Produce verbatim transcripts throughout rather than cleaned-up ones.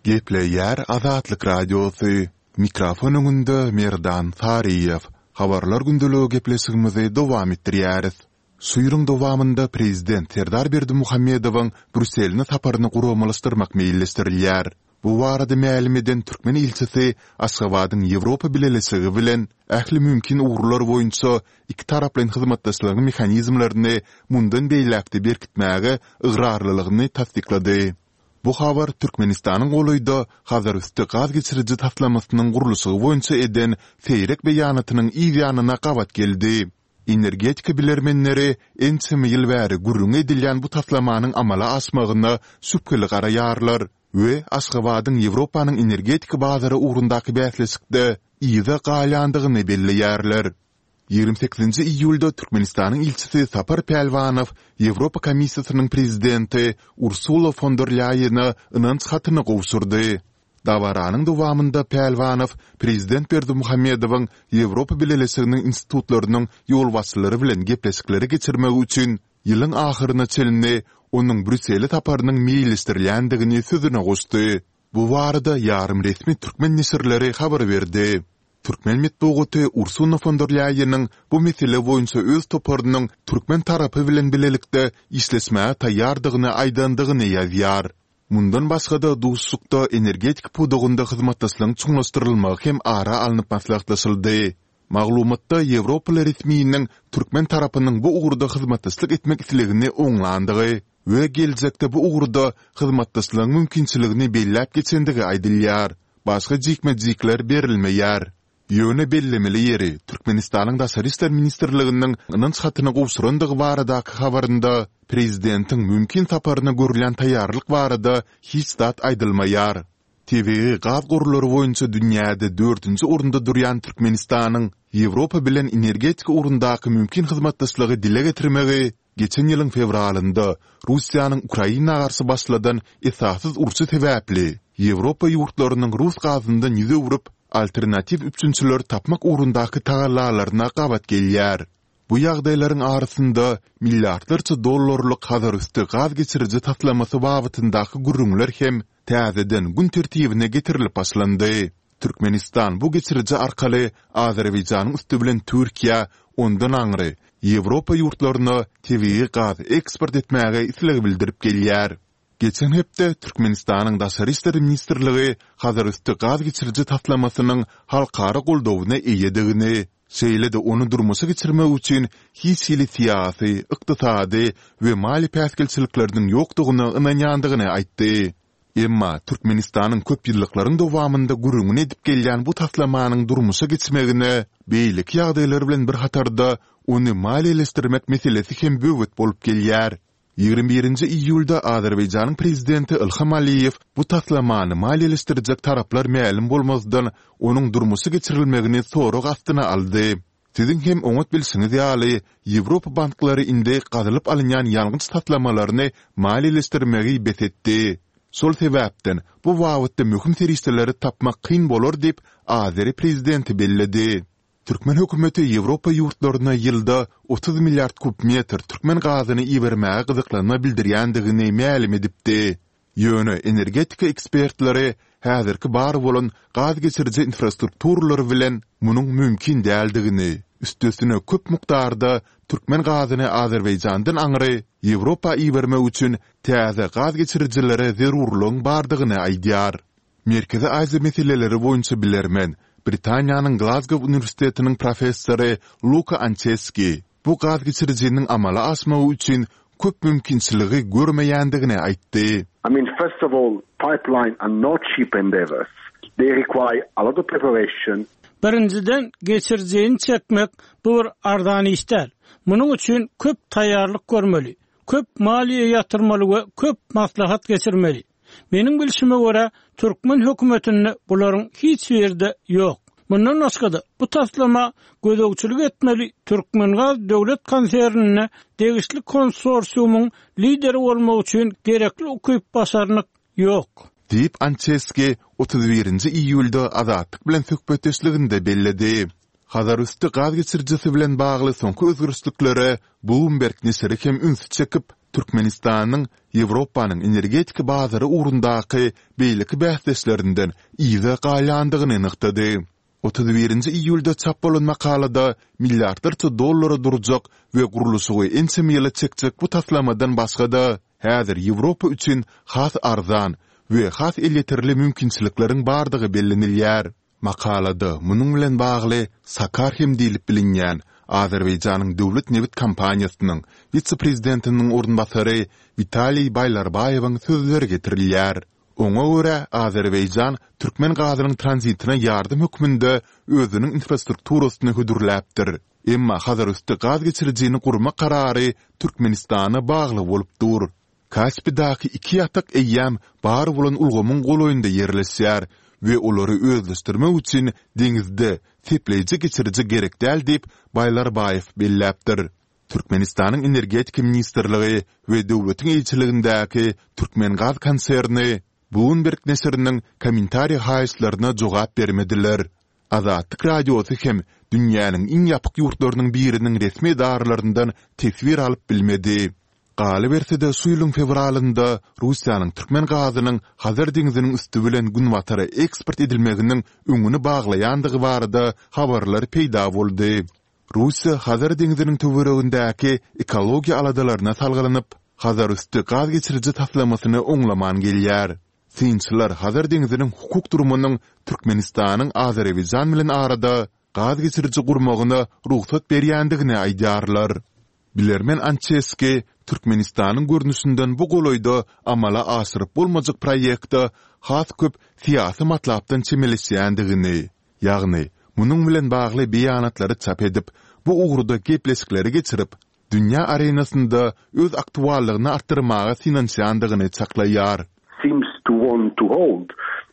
Gepleýär Azatlyk Radiosy, mikrofon öňünde Merdan Saryýew. Habarlar gündeligi gepleşigimizi dowam etdirýäris. Şu ýylyň dowamynda Prezident Serdar Berdimuhamedowyň Brýusseline saparyny guramalaşdyrmak meýilleşdirilýär. Bu barada mälim eden türkmen ilçisi Aşgabadyň Ýewropa Bileleşigi bilen ähli mümkin ugurlar boýunça ikitaraplaýyn hyzmatdaşlygyň mehanizmlerini mundan beýläk-de berkitmäge ygrarlylygyny tassyklady. Bu habar Türkmenistanyň golaýda Hazarüsti gaz geçiriji taslamasynyň gurluşygy boýunça eden seýrek beýanatynyň yz ýanyna gabat geldi. Energetika bilermenleri ençeme ýyl bäri gürrüňi edilýän bu taslamanyň amala aşmagyna şübheli garaýarlar we Aşgabadyň Ýewropanyň energetika bazary ugrundaky bäsleşikde yza galýandygyny belleýärler. Ýigrimi sekizinji iýulda Türkmenistanyň ilçisi Sapar Pälwanow Ýewropa Komissiýasynyň prezidenti Ursula fon der Lýaýene ynanç hatyny gowşurdy. Dabaranyň dowamynda Pälwanow prezident Berdimuhamedowyň Ýewropa Bileleşiginiň institutlarynyň ýolbaşçylary bilen gepleşikleri geçirmegi üçin ýylyň ahyryna çenli onuň Brýussele saparynyň meýilleşdirilýändigini sözüne goşdy. Bu barada ýarym resmi türkmen neşirleri habar berdi. Türkmen metbugaty Ursula fon der Lýaýeniň bu mesele boýunça öz toparynyň türkmen tarapy bilen bilelikde işleşmäge taýýardygyny aýdandygyny ýazýar. Mundan başga-da, duşuşykda energetika pudagynda hyzmatdaşlygyň çuňlaşdyrylmagy hem ara alnyp maslahatlaşyldy. Maglumatda ýewropaly resminiň türkmen tarapynyň bu ugurda hyzmatdaşlyk etmek islegini oňlandygy we geljekde bu ugurda hyzmatdaşlygyň mümkinçiligini belläp geçendigi aýdylýar. Başga jikme-jikler berilmeýär. Ýöne bellemeli ýeri, Türkmenistanyň Daşary işler ministrliginiň ynanç hatyny gowşurandygy baradaky habarynda prezidentiň mümkin saparyna görülýän taýýarlyk barada hiç zat aýdylmaýar. Tebigy gaz gorlary boýunça dünýäde dördünji orunda durýan Türkmenistanyň Ýewropa bilen energetika ugrundaky mümkin hyzmatdaşlygy dile getirmegi Geçen ýylyň fewralynda Russiýanyň Ukraina garşy başladan esassyz urşy sebäpli, Ýewropa ýurtlarynyň rus gazyndan ýüz öwrüp, alternatiw üpjünçileri tapmak ugrundaky tagallalaryna gabat gelýär. Bu ýagdaýlaryň arasynda milliardlarça dollarlyk Hazarüsti gaz geçiriji taslamasy babatyndaky gürrüňler hem täzeden gün tertibine getirilip başlandy. Türkmenistan bu geçiriji arkaly Azerbaýjanyň üsti bilen Türkiýä, ondan aňry, Ýewropa ýurtlaryna tebigy gaz eksport etmäge isleg bildirip gelýär. Geçen hepde Türkmenistanyň Daşary işler ministrligi Hazarüsti gaz geçiriji taslamasynyň halkara goldawyna eýedigini, şeýle-de ony durmuşa geçirmek üçin hiç hili syýasy, ykdysady we maliýe päsgelçilikleriniň ýokdugyna ynanýandygyny aýtdy. Emma Türkmenistanyň köp ýyllyklaryň dowamynda gürrüňini edip gelýän bu taslamanyň durmuşa geçmegine beýleki ýagdaýlar bilen bir hatarda ony maliýeleşdirmek meselesi hem böwet bolup gelýär. Ýigrimi birinji iýulda Azerbaýjanyň prezidenti Ilham Aliýew bu taslamany maliýeleşdirjek taraplar mälim bolmazdan onuň durmuşa geçirilmegini sorag astyna aldy. Siziň hem oňat bilşiňiz ýaly, Ýewropa banklary indi gazylyp alynýan ýangyç taslamalaryny maliýeleşdirmegi bes etdi. Şol sebäpden, bu babatda möhüm serişdeleri tapmak kyn bolar diýip, azeri prezidenti belledi. Türkmen hökümeti Ýewropa ýurtlaryna ýylda otuz milliard kub metr türkmen gazyny ibermäge gyzyklanma bildirýändigini mälim edipdi. Ýöne energetika ekspertleri häzirki bar bolan gaz geçiriji infrastrukturalary bilen munuň mümkin däldigini, üstesine köp mukdarda türkmen gazyny Azerbaýjandan aňry Ýewropa ibermek üçin täze gaz geçirijilere zerurlygyň bardygyny aýdýar. Merkezi Aziýa meseleleri boýunça bilermen, Britaniýanyň Glazgow uniwersitetiniň professory Luka Ançeski bu gaz geçirijiniň amala aşmagy üçin köp mümkinçiligi görmeýändigini aýtdy. I mean, first of all, pipeline are not cheap endeavors. They require a lot of preparation. Birinjiden, geçirijini çekmek bu bir arzan iş däl. Munuň üçin köp taýýarlyk görmeli, köp maliýe ýatyrmaly we köp maslahat geçirmeli. Meniň bilşime görä, türkmen hökümetinde bularyň hiç biri-de ýok. Mundan başga-da, bu taslama gözegçilik etmeli Türkmengaz döwlet konserninde degişli konsorsiumyň lideri bolmak üçin gerekli ukyp-başarnyk ýok. Diýip, Ançeski otuz birinji iýulda Azatlyk bilen söhbetdeşliginde belledi. Hazarüsti gaz geçirijisi bilen bagly soňky özgerişliklere Bloomberg neşiri hem ünsi çekip, Türkmenistanyň Ýewropanyň energetika bazary ugrundaky beýleki bäsdeşlerinden yza galýandygyny nygtady. Otuz birinji iýulda çap bolan makalada milliardlarça dollara durjak we gurluşygy ençeme ýyla çekjek bu taslamadan başga-da, häzir Ýewropa üçin has arzan we has elýeterli mümkinçilikleriň bardygy bellenilýär. Makalada munuň bilen bagly SOCAR hem diýlip bilinýän Azerbaýjanyň döwlet nebit kompaniýasynyň wise-prezidentiniň orunbasary Witaliý Baýlarbaýewiň sözleri getirilýär. Oňa görä, Azerbaýjan türkmen gazynyň tranzitine ýardam hökmünde özüniň infrastrukturasyny hödürläpdir. Emma Hazarüsti gaz geçirijini gurmak karary Türkmenistana bagly bolup dur. Kaspidaky iki ýatak eýýäm bar bolan ulgamyň golaýynda ýerleşýär we olary özleşdirmek üçin deňizde sepleýji geçiriji gerek däl diýip, Baýlarbaýew belläpdir. Türkmenistanyň Energetika ministrligi we döwletiň eýeçiligindäki Türkmengaz konserni Bloomberg neşiriniň kommentariý haýyşlaryna jogap bermediler. Azatlyk Radiosy hem dünýäniň iň ýapyk ýurtlarynyň biriniň resmi edaralaryndan teswir alyp bilmedi. Galyberse-de, şu ýylyň fewralynda Russiýanyň türkmen gazynyň Hazar deňziniň üsti bilen günbatara eksport edilmeginiň öňüni baglaýandygy barada habarlar peýda boldy. Russiýa Hazar deňziniň töweregindäki ekologiýa aladalaryna salgylanyp, Hazarüsti gaz geçiriji taslamasyny oňlaman gelýär. Synçylar Hazar deňziniň hukuk durumynyň Türkmenistanyň Azerbaýjan bilen arada gaz geçiriji gurmagyna rugsat berýändigini aýdýarlar. Bilermen Ançeski Türkmenistanyň görnüşinden bu golaýda amala aşyryp bolmajak proýekte has köp syýasy matlapdan çemeleşýändigini, ýagny munuň bilen bagly beýanatlary çap edip, bu ugurda gepleşikleri geçirip, dünýä arenasynda öz aktuallygyny artdyrmaga synanyşýandygyny çaklaýar. Seems to want to hold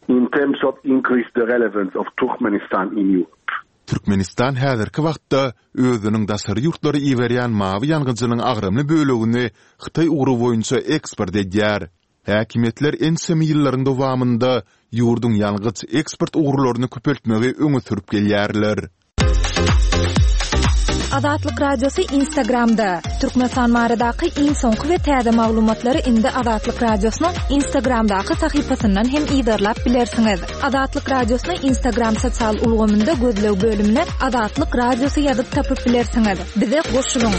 in terms of increase the relevance of Turkmenistan in Europe. Türkmenistan häzirki wagtda özüniň daşary ýurtlara iberýän mawy ýangyjynyň agramly bölegini Hytaý ugry boýunça eksport edýär. Häkimiýetler ençeme ýyllaryň dowamynda ýurduň ýangyç eksport ugurlaryny köpeltmegi öňe sürüp gelýärler. Azatlyk Radiosy Instagramda, Türkmenistan baradaky iň soňky we täze maglumatlary indi Azatlyk Radiosynyň Instagramdaky sahypasyndan hem yzarlap bilersiňiz. Azatlyk Radiosyny Instagram sosial ulgamynda gözleg bölümine Azatlyk Radiosy ýazyp tapyp bilersiňiz. Bize goşulyň!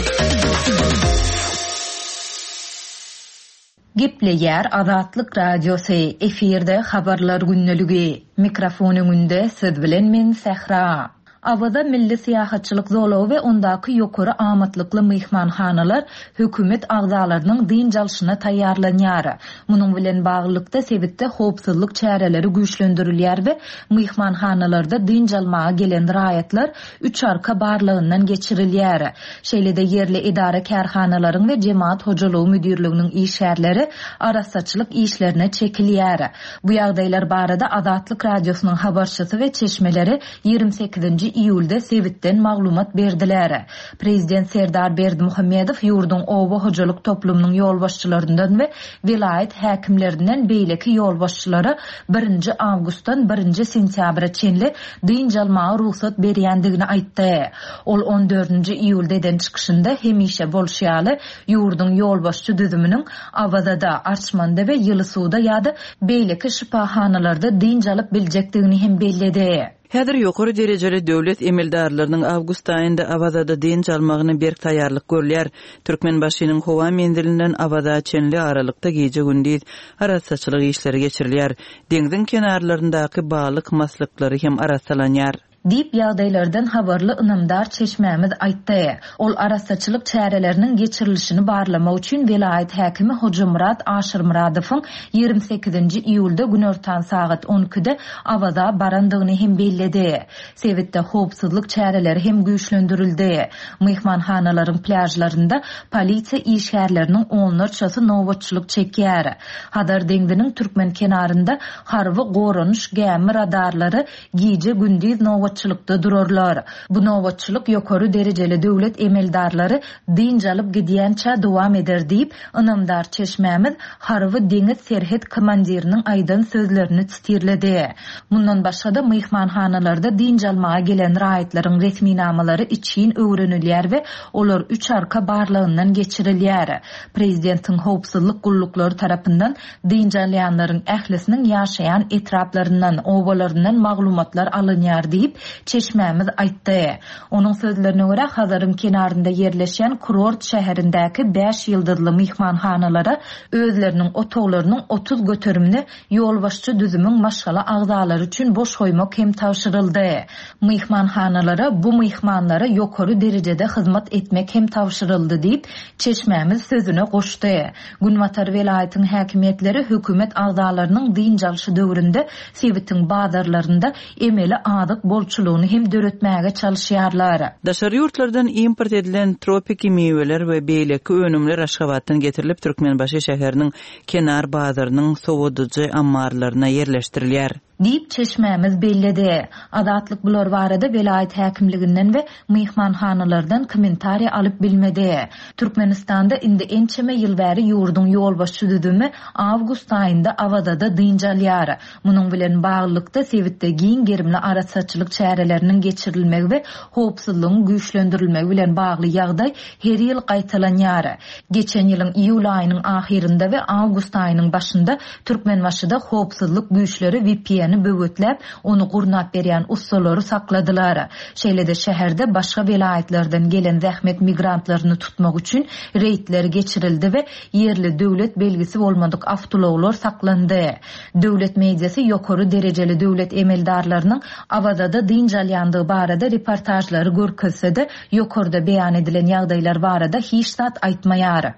Gepleýär Azatlyk Radiosy, efirde Habarlar gündeligi. Mikrofon öňünde siz bilen men Sähra. Awaza milli syýahatçylyk zolagy we ondaky ýokary amatlykly myhmanhanalar hökümet agzalarynyň dynç alşyna taýýarlanýar. Munuň bilen baglylykda sebitde howpsuzlyk çäreleri güýçlendirilýär we myhmanhanalarda dynç almaga gelen raýatlar üç arka barlagyndan geçirilýär. Şeýle-de ýerli edara-kärhanalaryň we jemagat hojalygy müdirliginiň işgärleri arassaçylyk işlerine çekilýär. Bu ýagdaýlar barada Azatlyk Radiosynyň habarçysy we çeşmeleri ýigrimi sekizinji iýulda sebitden maglumat berdiler. Prezident Serdar Berdimuhamedow ýurduň oba hojalyk toplumynyň ýolbaşçylaryndan we welaýat häkimlerinden beýleki ýolbaşçylara birinji awgustdan birinji sentýabra çenli dynç almaga rugsat berýändigini aýtdy. Ol on dördünji iýulda eden çykyşynda hemişe bolşy ýaly ýurduň ýolbaşçy düzüminiň Awazada, Arçmanda we Ýylysuwda ýa-da beýleki şypahanalarda dynç alyp biljekdigini hem belledi. Häzir ýokary derejeli döwlet emeldarlarynyň awgust aýynda Awazada dynç almagyna berk taýýarlyk görülýär. Türkmenbaşynyň howa menzilinden Awaza çenli aralykda gije-gündiz arassaçylyk işleri geçirilýär. Deňziň kenarlaryndaky balyk maslyklary hem arassalanýar. Diýip, ýagdaýlardan habarly ynamdar çeşmämiz aýtdy. Ol arassaçylyk çäreleriniň geçirilişini barlamak üçin welaýat häkimi Hojamyrat Aşyrmyradowyň ýigrimi sekizinji iýulda günortan sagat on ikide Awaza barandygyny hem belledi. Sebitde howpsuzlyk çäreleri hem güýçlendirildi. Myhmanhanalaryň plýažlarynda polisiýa işgärleriniň onlarçasy nobatçylyk çekýär. Hazar deňziniň türkmen kenarynda harby goranyş gämi radarlary gije-gündiz nobatçylyk Nobatçylykda durarlar. Bu nobatçylyk ýokary derejeli döwlet emeldarlary dynç alyp gidýänçä dowam eder diýip, ynamdar çeşmämiz Harby deňiz serhet komandiriniň aýdan sözlerini sitirledi. Mundan başga-da myhmanhanalarda dynç almaga gelen raýatlaryň resminamalary içgin öwrenilýär we olar üç arka barlagyndan geçirilýär. Prezidentiň howpsuzlyk gulluklary tarapyndan dynç alýanlaryň ählisiniň ýaşaýan etraplaryndan, obalaryndan maglumatlar alynýar diýip, çeşmämiz aýtdy. Onuň sözlerine görä, Hazaryň kenarynda ýerleşýän kurort şäherindäki bäş ýyldyzly myhmanhanalara özleriniň otaglarynyň otuz göterimini ýolbaşçy düzümiň maşgala agzalary üçin boş goýmak hem tabşyryldy. Myhmanhanalara bu myhmanlara ýokary derejede hyzmat etmek hem tabşyryldy diýip, çeşmämiz sözüne goşdy. Günbatar welaýatyň häkimiýetleri hökümet agzalarynyň dynç alşy döwründe sebitiň bazarlarynda emeli azyk bolçulygyny hem döretmäge çalışýarlar. Daşary ýurtlardan import edilen tropiki miweler we beýleki önümler Aşgabatdan getirilip Türkmenbaşy şäheriniň kenar bazarynyň sowadyjy ammarlaryna ýerleşdirilýär. Diýip çeşmämiz belledi. Azatlyk bular barada welaýat häkimliginden we myhmanhanalardan kommentariýa alyp bilmedi. Türkmenistanda indi ençeme ýyl bäri ýurduň ýolbaşçy düzümi awgust aýynda Awazada dynç alýar. Munuň bilen baglylykda sebitde giň gerimli arassaçylyk çäreleriniň geçirilmegi we howpsuzlygyň güýçlendirilmegi bilen bagly ýagdaý her ýyl gaýtalanýar. Geçen ýylyň iýul aýynyň ahyrynda we awgust aýynyň başynda Türkmenbaşyda howpsuzlyk güýçleri V P N-i böwetläp, ony gurnap berýän ussalary sakladylar. Şeýle-de şäherde başga welaýatlardan gelen zähmet migrantlaryny tutmak üçin reýdler geçirildi we ýerli döwlet belgisi bolmadyk awtoulaglar saklandy. Döwlet mediasy ýokary derejeli döwlet emeldarlarynyň Awazada dynç alýandygy barada reportajlary görkezse-de, ýokarda beýan edilen ýagdaýlar barada hiç zat aýtmaýar.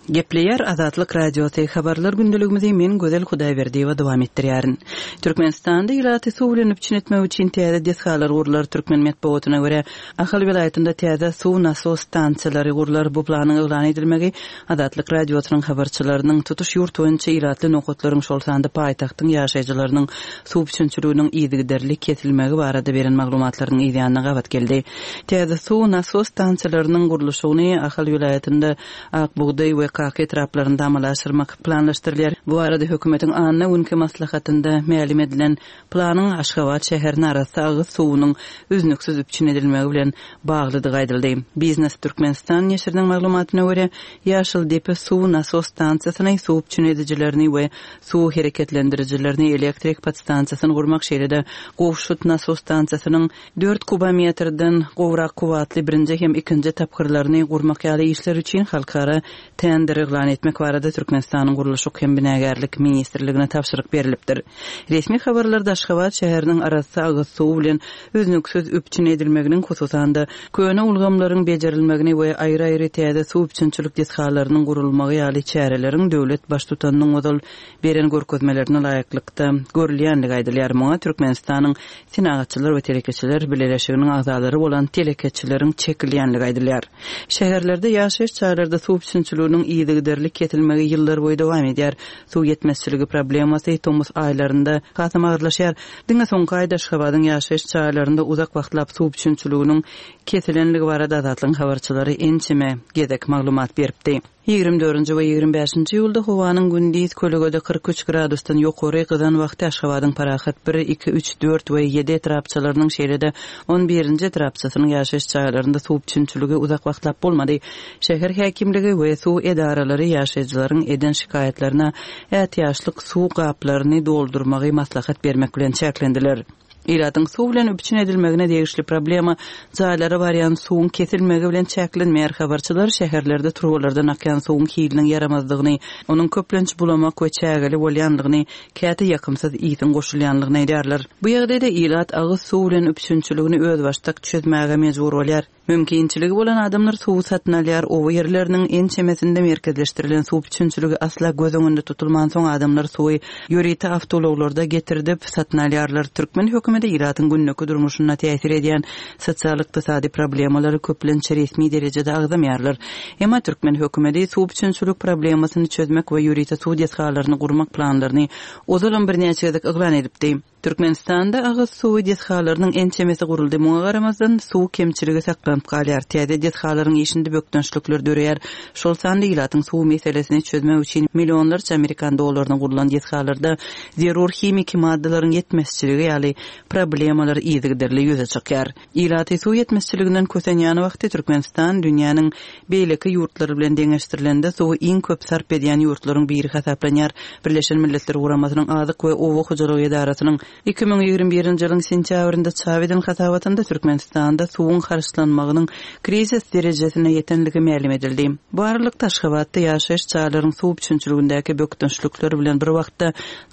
Gepleýär Azatlyk Radiosy habarlar gündeligimizi men Gözel Hudaýberdiýewa dowam etdirýärin. Türkmenistanda ilaty suw bilen üpjün etmek üçin täze desgalar gurlar. Türkmen metbugatyna görä Ahal welaýatynda täze suw nasos stansiýalary gurlar. Bu planyň yglan edilmegi Azatlyk Radiosynyň habarçylarynyň tutuş ýurt boýunça ilatly nokatlaryň şol sanda paýtagtyň ýaşaýjylarynyň suw üpjünçiliginiň yzygiderli kesilmegi barada beren maglumatlarynyň ýanyna gabat geldi. Täze suw nasos stansiýalarynyň gurluşygyny Ahal welaýatynda Ak bugdaý we Kaka etraplarynda amala aşyrmak planlaşdyrylýar. Bu arada hökümetiň anna günki maslahatynda mälim edilen planyň Aşgabat şäherine arassa agyz suwunyň üznüksiz üpjün edilmegi bilen baglydygy aýdyldy. Biznes Türkmenistan neşiriniň maglumatyna görä, Ýaşyl depe suw nasos stansiýasyny, suw üpjün edijilerini we suw hereketlendirijilerini elektrik podstansiýasyny gurmak, şeýle-de Gowşut nasos stansiýasynyň dört kubometrden gowrak kuwwatly birinji hem ikinji tapgyrlaryny gurmak ýaly işler üçin halkara tender yglan etmek barada Türkmenistanyň Gurluşyk hem Binagärlik ministrligine tabşyryk berilipdir. Resmi habarlarda Aşgabat şäheriniň arassa agyz suwy bilen üznüksiz üpjün edilmeginiň hususan-da köne ulgamlaryň bejerilmegini we aýry-aýry täze suw üpjünçilik desgalarynyň gurulmagy ýaly çäreleriň döwlet baştutanynyň ozal beren görkezmelerine laýyklykda görülýänligi aýdylýar. Muňa Türkmenistanyň Senagatçylar we telekeçiler bileleşiginiň agzalary bolan telekeçileriň çekilýänligi aýdylýar. Şäherlerde ýaşaýyş jaýlarda suw üpjünçiliginiň yzygiderli kesilmegi ýyllar boýy dowam edýär. Suw ýetmezçiligi problemasy tomus aýlarynda hasam agyrlaşýar. Diňe soňky aýda Aşgabadyň ýaşaýyş jaýlarynda uzak wagtlap suw üpjünçiliginiň kesilenligi barada Azatlygyň habarçylary ençeme gezek maglumat beripdi. Ýigrimi dördünji we ýigrimi bäşinji ýylda howanyň gündiz kölegede kyrk üç gradusdan ýokary gyzan wagty Aşgabadyň Parahat bir, iki, üç, dört we ýedi etrapçalarynyň şeýle-de on birinji etrapçasynyň ýaşaýyş jaýlarynda suw üpjünçiligi uzak wagtlap bolmady. Şäher häkimligi we suw edaralary ýaşaýjylaryň eden şikaýatlaryna ätiýaçlyk suw gaplaryny doldurmagy maslahat bermek bilen çäklendiler. Ilatyň suw bilen üpjün edilmegine degişli problema jaýlara barýan suwuň kesilmegi bilen çäklenmeýär. Habarçylar şäherlerde turbalardan akýan suwuň hiliniň ýaramazdygyny, onuň köplenç bulamak we çägeli bolýanlygyny, käte ýakymsyz ýygyň goşulýanlygyny aýdýarlar. Bu ýagdaýda ilat agyz suw bilen üpjünçiligini özbaşdak çözmäge mejbur bolýar. Mümkinçiligi bolan adamlar suw satyn alýar. Oba ýerleriniň ençemesinde merkezleşdirilen suw üpjünçiligi asla göz öňünde tutulman soň adamlar suwy ýörite awtoulaglarda getirdip satyn alýarlar. Türkmen hökümeti ilatyň günlük durmuşyna täsir edýän sosial-ykdysady problemalary köplenç resmi derejede agzamaýarlar. Emma türkmen hökümeti suw üpjünçilik problemasyny çözmek we ýörite suw desgalaryny gurmak planlaryny ozalam birnäçe gezek yglan edipdi. Türkmenistanda agyz suwy desgalarynyň ençemesi guruldy. Muňa garamazdan suw kemçiligi saklanyp galýar. Täze desgalaryň işinde bökdençlikler döreýär. Şol sanda ilatyň suw meselesini çözmek üçin millionlarça amerikan dollaryna gurulan desgalarda zerur himiki maddalaryň ýetmezçiligi ýaly problemalar yzygiderli ýüze çykýar. Ilaty suw ýetmezçiliginden kösenýän wagty Türkmenistan dünýäniň beýleki ýurtlary bilen deňeşdirilende suwy iň köp sarp edýän ýurtlaryň biri hasaplanýar. Birleşen Milletler Guramasynyň Azyk we Oba hojalygy edarasynyň iki müň ýigrimi birinji ýylyň sentýabrynda çap eden hasabatynda Türkmenistanda suwuň harçlanmagynyň krizis derejesine ýetenligi mälim edildi. Bu aralykda Aşgabatda ýaşaýyş jaýlaryň suw üpjünçiligindäki bökdençlikler bilen bir wagtda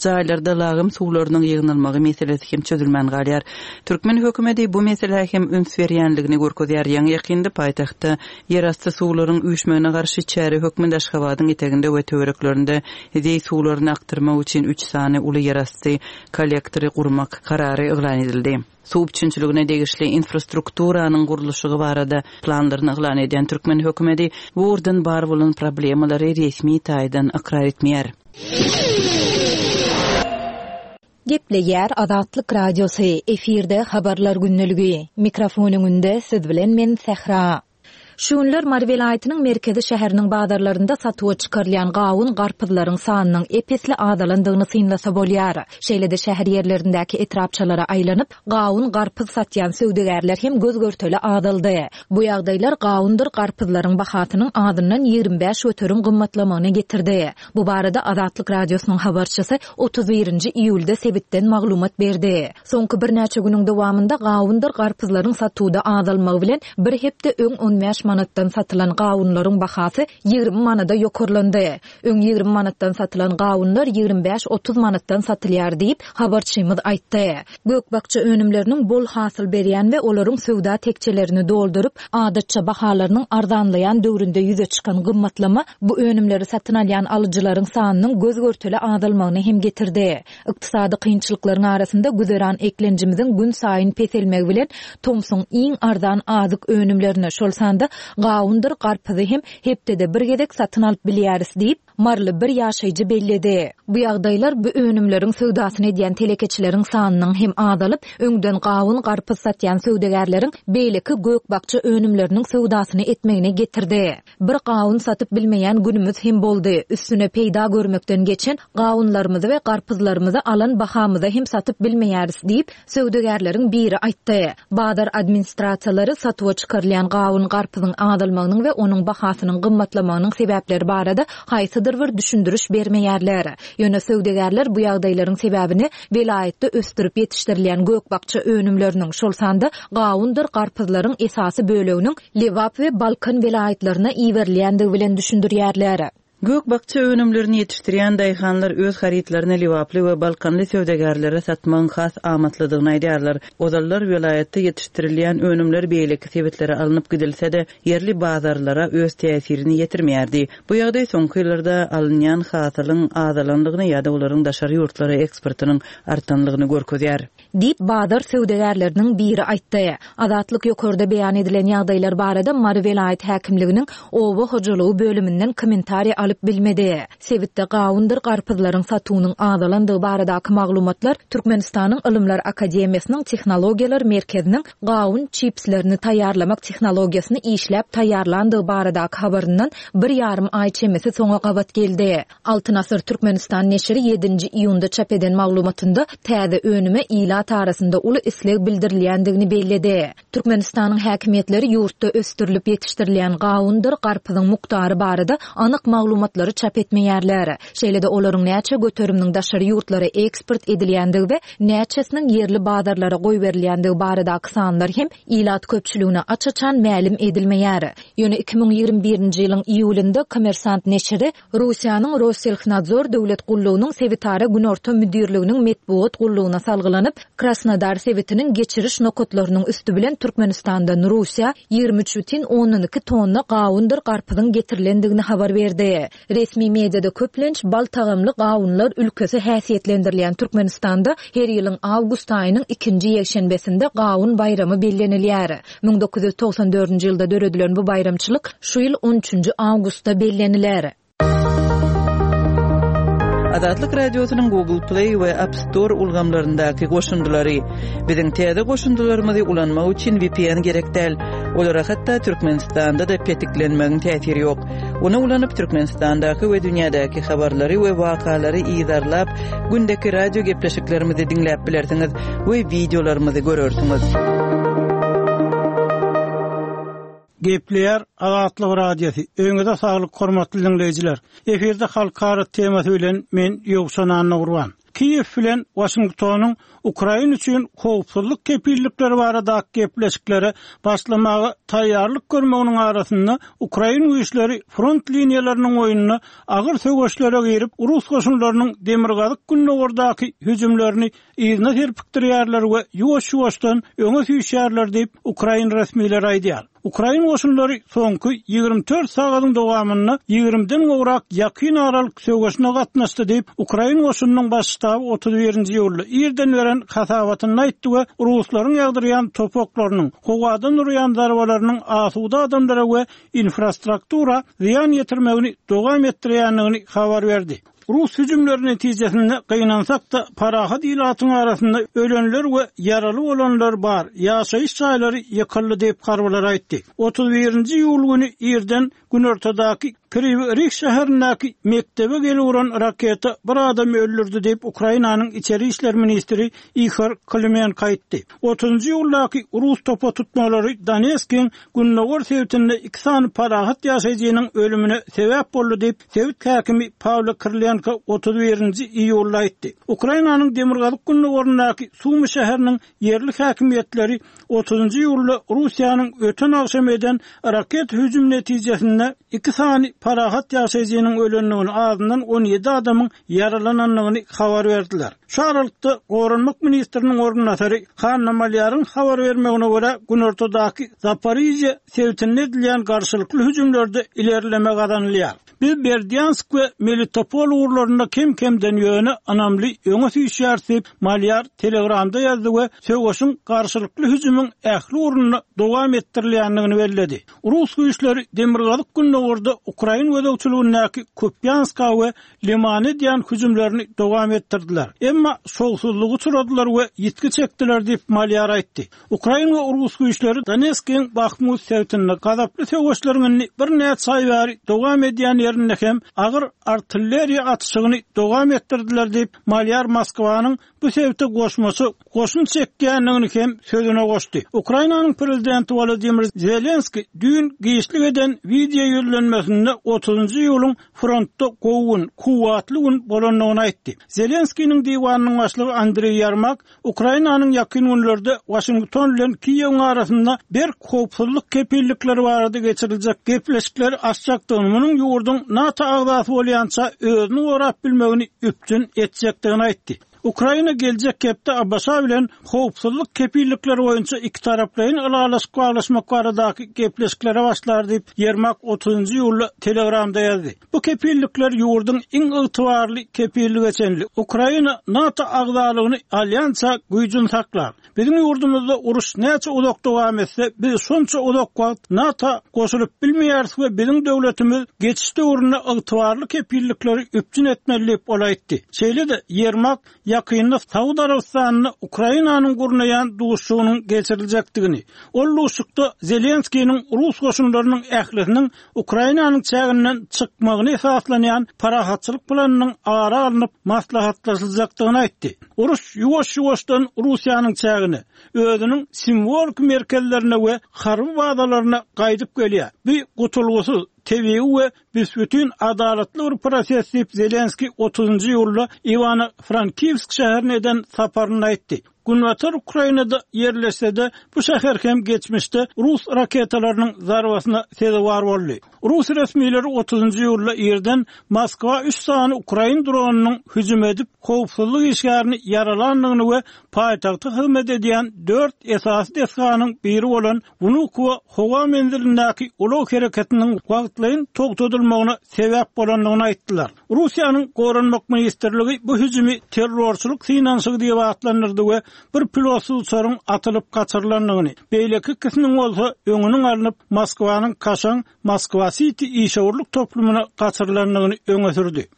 jaýlarda lagym suwlarynyň ýygnalmagy meselesi hem çözülmän galýar. Türkmen hökümeti bu meselä hem üns berýänligini görkezýär. Ýaňy ýakynda paýtagtda ýerasty suwlaryň üýşmegine garşy çäre hökmünde Aşgabadyň eteginde we töwereklerinde zeý suwlaryny akdyrmak üçin üç sany uly ýerasty kollektory gurmak karary yglan edildi. Suw üpjünçiligine degişli infrastrukturanyň gurluşygy barada planlaryny yglan edýän türkmen hökümeti bu ugurdan bar bolan problemalary resmi taýdan ykrar etmeýär. Gepleýär Azatlyk Radiosy, efirde habarlar gündeligi. Mikrofon öňünde siz bilen men Sähra. Şu günler Mary welaýatynyň merkezi şäheriniň bazarlarynda satuwa çykarylýan gawun garpyzlaryň sanynyň epesli azalandygyny synlasa bolýar. Şeýle-de şäher ýerlerindäki etrapçalara aýlanyp, gawun garpyz satýan söwdagärler hem göz görteli azaldy. Bu ýagdaýlar gawundyr garpyzlaryň bahasynyň azyndan ýigrimi bäş göterim gymmatlamagyna getirdi. Bu barada Azatlyk Radiosynyň habarçysy otuz birinji iýulda sebitden maglumat berdi. Soňky birnäçe günüň dowamynda gawundyr garpyzlaryň satuwda azalmagy bilen bir hepde öň on bäş manatdan satylan gawunlaryň bahasy ýigrimi manada ýokarlandy. Öň ýigrimi manatdan satylan gawunlar ýigrimi bäş otuz manatdan satylýar diýip habarçymyz aýtdy. Gök-bakja önümleriniň bol hasyl berýän we olaryň söwda tekçelerini dolduryp, adatça bahalarynyň arzanlaýan döwründe ýüze çykan gymmatlama bu önümleri satyn alýan alyjylaryň sanynyň göz görteli azalmagyny hem getirdi. Ykdysady kynçylyklaryň arasynda güzeran eklenjimiziň gün saýyn peselmegi bilen tomsuň iň arzan azyk önümlerini, şol sanda gawundyr garpyzy hem hepdede bir gezek satyn alyp bilýäris diýip, Marly bir ýaşaýjy belledi. Bu ýagdaýlar bu önümleriň söwdasyny edýän telekeçileriň sanynyň hem azalyp, öňden gawun garpyz satýan söwdagärleriň beýleki gök-bakja önümleriniň söwdasyny etmegine getirdi. Bir gawun satyp bilmeýän günümüz hem boldy. Üstüne peýda görmekden geçen gawunlarymyzy we garpyzlarymyzy alan bahamyza hem satyp bilmeýäris diýip, söwdagärleriň biri aýtdy. Bazar administrasiýalary satuwa çykarylýan gawun garpyzyň azalmagynyň we onuň bahasynyň gymmatlamagynyň sebäpleri barada haýsydyr bir düşündiriş bermeýärler. Ýöne söwdagärler bu ýagdaýlaryň sebäbini welaýatda ösdürip ýetişdirilýän gök-bakja önümleriniň, şol sanda gawundyr garpyzlaryň esasy böleginiň Lebap we Balkan welaýatlaryna iberilýändigi bilen düşündirýärler. Gök-bakja önümlerini ýetişdirýän daýhanlar öz harytlaryny Lebaply we Balkanly söwdagärlere satmagyň has amatlydygyny aýdýarlar. Ozallar welaýatda ýetişdirilýän önümler beýleki sebitlere alnyp gidilse-de, ýerli bazarlara öz täsirini ýetirmeýärdi. Bu ýagdaý soňky ýyllarda alynýan hasylyň azalanlygyny ýa-da olaryň daşary ýurtlara eksportynyň artanlygyny görkezýär. Diýip, bazar söwdagärleriniň biri aýtdy. Azatlyk ýokarda beýan edilen ýagdaýlar barada Mary welaýat häkimliginiň oba hojalygy bölüminden kommentariýa alyp bilmedi. Sebitde gawundyr garpyzlaryň satuwynyň azalandygy baradaky maglumatlar Türkmenistanyň Ylymlar Akademiýasynyň Tehnologiýalar Merkeziniň gawun çipslerini taýýarlamak tehnologiýasyny işläp taýýarlandygy baradaky habaryndan bir ýarym aý çemesi soňa gabat geldi. Altyn Asyr Türkmenistan neşiri ýedinji iýunda çap eden maglumatynda täze önüme ilat arasynda uly isleg bildirilýändigini belledi. Türkmenistanyň häkimiýetleri ýurtda ösdürilip ýetişdirilýän gawundyr garpyzyň mukdary barada anyk maglumatlary çap etmeýärler. Şeýle-de olaryň näçe göteriminiň daşary ýurtlara eksport edilýändigi we näçesiniň ýerli bazarlara goýberilýändigi baradaky sanlar hem ilat köpçüligine aç-açan mälim edilmeýär. Ýöne iki müň ýigrimi birinji ýylyň iýulynda Kommersant neşiri Russiýanyň Rosselhnadzor döwlet gullugynyň sebitara günorta müdirliginiň metbugat gullugyna salgylanyp, Krasnodar sebitiniň geçiriş nokatlarynyň üstü bilen Türkmenistandan Russiýa ýigrimi üç bütin ondan iki tonna gawundyr garpyzyň getirilendigini habar berdi. Resmi mediada köplenç bal tagamly gawunlar ülkesi häsiýetlendirilýän Türkmenistanda her ýylyň awgust aýynyň ikinji ýekşenbesinde gawun baýramy bellenilýär. Müň dokuz ýüz togsan dördünji ýylda döredilen bu baýramçylyk şu ýyl on üçünji awgustda belleniler. Azatlyk Radiosynyň Google Play we App Store ulgamlaryndaky goşundylary. Biziň täze goşundylarymyzy ulanmak üçin V P N gerek däl. Olara hatda Türkmenistanda-da petiklenmegiň täsiri ýok. Ony ulanyp Türkmenistandaky we dünýädäki habarlary we wakalary yzarlap, gündeki radio gepleşiklerimizi diňläp bilersiňiz we wideolarymyzy görersiňiz. Gepleýär Azatlyk Radiosy. Öňüňize saglyk, hormatly dinleýjiler. Efirde halkara temasy bilen men Ýowşan Annagurban. Kiýew bilen Waşingtonyň Ukraina üçin howpsuzlyk kepillikleri barada gepleşiklere başlamaga taýýarlyk görmeginiň arasynda Ukraina güýçleri front liniýalarynyň boýunda agyr söweşlere girip, Rus goşunlarynyň demirgazyk gündogardaky hüjümlerini yzyna serpikdirýärler we ýuwaş-ýuwaşdan öňe süýşýärler diýip Ukraina resmileri aýdýar. Ukraina goşunlary soňky ýigrimi dört sagatyň dowamynda ýigrimiden gowrak ýakyn aralyk söweşine gatnaşdy diýip Ukraina goşunynyň baş ştaby otuz birinji iýulda irden beren hasabatynda aýtdy we Ruslaryň ýagdyrýan topaklarynyň, howadan urýan zarbalarynyň asuda adamlara we infrastruktura zyýan ýetirmegini dowam etdirýändigini habar berdi. Rus hüjümleri netijesinde gynansak-da parahat ilatyň arasynda ölenler we ýaraly bolanlar bar. Ýaşaýyş jaýlary ýykyldy diýip harbylar aýtdy. Otuz birinji iýul güni irden günortadaky Kriwi Rih şäherindäki mekdebe gelip uran raketa bir adam öldürdi diýip Ukrainanyň içeri işler ministri Ihor Klimenko aýtdy. Otuzunjy iýuldaky Rus topa tutmalary Donetskiň gündogar sebitinde iki sany parahat ýaşaýjynyň ölümine sebäp boldy diýip sebit häkimi Pawlo Kirilenko otuz birinji iýulda aýtdy. Ukrainanyň demirgazyk gündogaryndaky Sumy şäheriniň ýerli häkimiýetleri otuzunjy iýulda Russiýanyň öten agşam eden raket hüjüm netijesinde iki sany parahat ýaşaýjynyň ölendigini, azyndan on ýedi adamyň ýaralanandygyny habar berdiler. Şu aralykda Goranmak ministriniň orunbasary Hanna Malýaryň habar bermegine görä günortadaky Zaporizhye sebitinde edilýän garşylykly hüjümlerde ilerleme gazanylýar. Biz Berdyansk we Melitopol ugurlarynda kem-kemden ýöne ynamly öňe süýşýäris diýip Malýar Telegramda ýazdy we söweşiň garşylykly hüjümiň ähli ugrunda dowam etdirilýändigini belledi. Rus güýçleri demirgazyk gündogarda Ukraina gözegçiligindäki Kupyanska we Limana edýän hüjümlerini dowam etdirdiler. Emma şowsuzlygy uçradylar we ýitgi çekdiler diýip Malýar aýtdy. Ukraina we Rus güýçleri Donetskiň Bahmut sebitinde gazaply söweşleriň indi birnäçe aý bäri dowam edýän ýerinde hem agyr artilleriýa atyşygyny dowam etdirdiler diýip Malýar Moskwanyň bu sebite goşmaça goşun çekýändigini hem sözüne goşdy. Ukrainanyň prezidenti Volodymyr Zelenski düýn giçlik eden wideo ýüzlenmesinde otuzunjy iýulyň frontda gowy gün, kuwwatly gün bolandygyny aýtdy. Zelenskiniň diwanynyň başlygy Andreý Ýermak Ukrainanyň ýakyn günlerde Waşington bilen Kiýewiň arasynda berk howpsuzlyk kepillikleri barada geçiriljek gepleşikleri açjakdygyny, munuň ýurduň NATO agzasy bolýança özüni gorap bilmegini üpjün etjekdigini aýtdy. Ukraina geljek hepde A B Ş bilen howpsuzlyk kepillikleri boýunça iki taraplaýyn ylalaşyk baglaşmak baradaky gepleşiklere başlar diýip Ýermak otuzunjy iýulda Telegramda ýazdy. Bu kepillikler ýurduň iň ygtybarly kepillige çenli Ukraina NATO agzalygyny alýança güýjüni saklar. Biziň ýurdumyzda uruş näçe uzak dowam etse, biz şonça uzak wagt NATO goşulyp bilmeýäris we biziň döwletimiz geçiş döwründe ygtybarly kepillikleri üpjün etmeli diýip ol aýtdy. Şeýle-de Ýermak ýakynda Saud Arabystanynda Ukrainanyň gurnaýan duşuşygynyň geçiriljekdigini, ol duşuşykda Zelenskiniň Rus goşunlarynyň ählisiniň Ukrainanyň çäginden çykmagyny esaslanýan parahatçylyk planynyň ara alnyp maslahatlaşyljakdygyny aýtdy. Uruş ýuwaş-ýuwaşdan Russiýanyň çägine, özüniň simwolik merkezlerine we harby bazalaryna gaýdyp gelýär. Bu gutulgysyz, tebigy we büsbütün adalatly bir proses diýip Zelenski otuzunjy iýulda Iwano-Frankivsk şäherine eden saparynda aýtdy. Günbatar Ukrainada ýerleşse-de bu şäher hem geçmişde Rus raketalarynyň zarbasyna sezewar boldy. Rus resmileri otuzunjy iýulda irden Moskwa üç sany ukrain dronynyň hüjüm edip howpsuzlyk işgärini ýaralandygyny we paýtagta hyzmat edýän dört esasy desganyň biri bolan Wnukowo howa menzilindäki ulag hereketiniň wagtlaýyn togtadylmagyna sebäp bolandygyny aýtdylar. Russiýanyň Goranmak ministrligi bu hüjümi terrorçylyk synanyşygy diýip atlandyrdy we bir pilotsyz uçaryň atylyp gaçyrylandygyny, beýleki ikisiniň bolsa öňüniň alnyp Moskwanyň kaşaň Moskwa City işewürlik toplumyna gaçyrylandygyny öňe sürdi.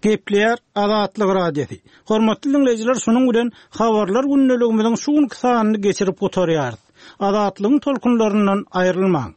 Gepleýär Azatlyk Radiosy. Hormatly diňleýjiler, şunuň bilen habarlar gündeligimiziň şu günki sanyny geçirip gutarýarys. Azatlygyň tolkunlaryndan aýrylmaň.